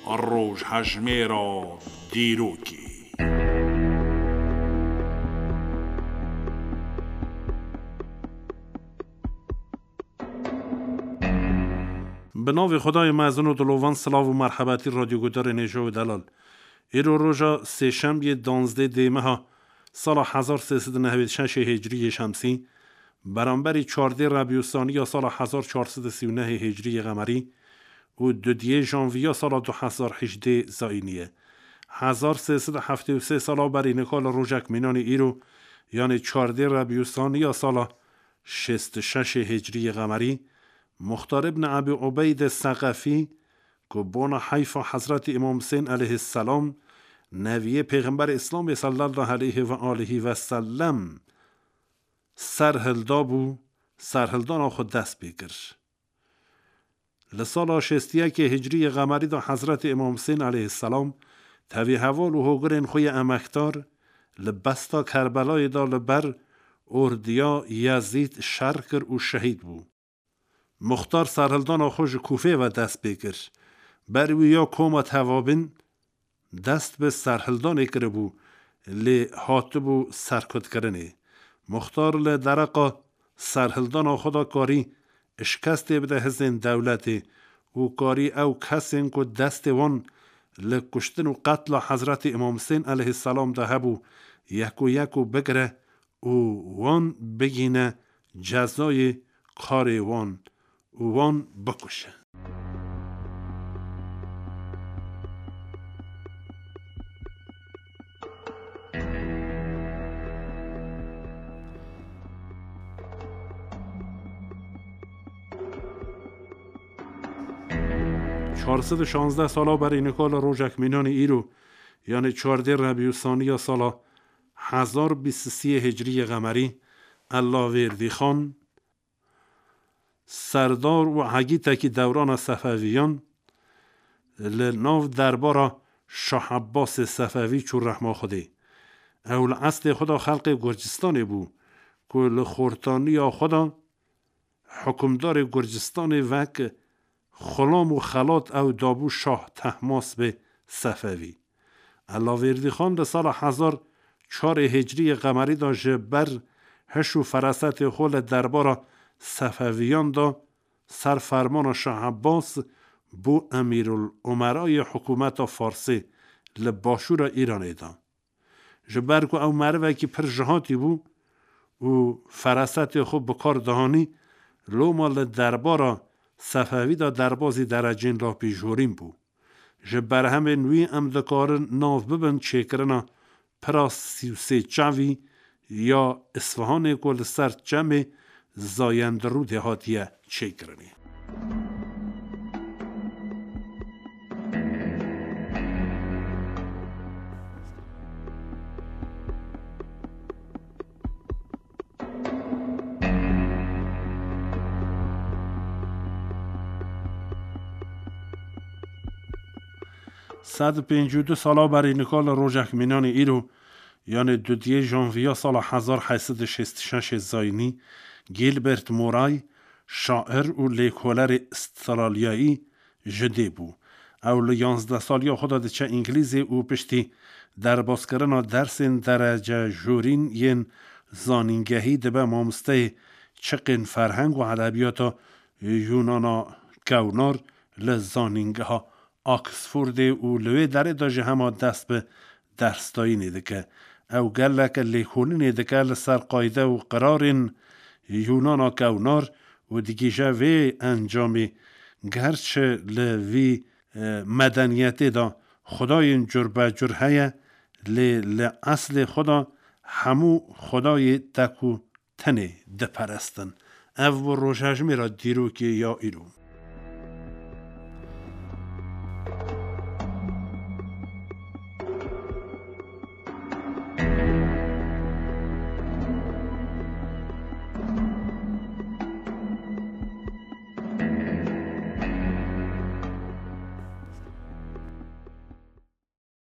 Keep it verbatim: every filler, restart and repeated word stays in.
Rojhejmêra dîrokê. Bi navê Xwedayê mezin û dilovan, silav û merhebetî radyoguhdarên hêja û delal. Îro roja sêşembiyê danzdê dê meha sala hezar sê sed û nehwêd şeşê hicriyê şemsî, beramberî çardê rebiyûsaniya sala hezar çar sed û sî û nehê hicriyê qemerî û dudiyê janviya sala du hezar hejdê zayînî ye. Hezar sê sed û heftê û sê sala berî nika li rojek mînanê îro, yanê çardê rebiyûsaniya sala şêst û şeşê hicriyê qemerî, Muxtar ibn Ebî Ubeyde Seqefî, ku bona heyfa Hezretî Îmam Husên aleyhisselam, neviyê Pêxemberê Îslamê sallallahu aleyhi ve aleyhi ve sellem, serhildabû, serhildana xwe dest pê kir. Li sala şêst û yekê hicriyê qemerî de Hezretî Îmam Husên aleyhisselam tevî heval û hogirên xwe yê emekdar li besta Kerbelayê de li ber ordiya Yezîd şer kir û şehîd bû. Muxtar serhildana xwe ji Kûfê ve dest pê kir. Ber wî ya koma tevabin dest bi serhildanê kiribû, lê hatibû serkutkirinê. Muxtar li dereqa serhildana xwe de karî şikestê bide hizên dewletê û karî ew kesên ku destê wan li kuştin û qetla Hezretî Îmam Husên aleyhisselam de hebû, yek û yek û bigire û wan bigîne cezayê karê wan û wan bikuşe. Çar sed û şazdeh sala berî nika li rojek mînanê îro, yanê çardê rebî û saniya sala hezar bîst û sê hicriyê qemerî, Ellavêrdî Xan, serdar û hegîtekî dewrana Sefeviyan, li nav derbara Şah Ebbasê Sefevî çû rehma Xwedê. Ew li eslê xwe de xelqê Gurcistanê bû, ku li xortaniya xwe de hukimdarê Gurcistanê wek xulam û xelat ew dabû Şah Tehmasbê Sefevî. Ellavêrdî Xan di sala hezar çarê hicriyê qemerî de ji ber hiş û ferasetê xwe li derbara Sefeviyan de ser fermana Şah Ebbas bû Emîrul Umerayê hikûmeta Farsê li başûra Îranê de. Ji ber ku ew merivekî pir jihatî bû û ferasetê xwe bi kar dihanî, loma li derbara Sefevî de derbazî derecên lapîjorîn bû. Ji berhemên wî em dikarin nav bibin çêkirina pira sî û sê çavî ya Isfahanê ku li ser çemê Zayendirûdê hatiye çêkirinê. Sed û pêncî û du sala berî nika li rojek mînanê îro, yanê dudiyê janviya sala hezar heyt sed û şêst û şeş zayînî, Gilbert Moray, şair û lêkolerê Astralyayî ji dê bû. Ew li yanzdeh saliya xwe de diçe Îngilîzê û piştî derbazkirina dersên derece jorîn yên zanîngehî dibe mamosteyê çiqên ferheng û edebiyata Yûnana kewnar li zanîngeha Oxfordê û li wê derê de jî hema dest bi dersdayînê dike. Ew gelek lêkolînê dike li ser qayde û qirarên Yûnana kewnar û digihîje vê encamê, gerçi li vî, e, medeniyetê de xwedayên curbecur heye, lê li eslê xwe de hemû xwedayê tek û tenê diperestin. Ev bû rojhejmêra dîrokê ya îro.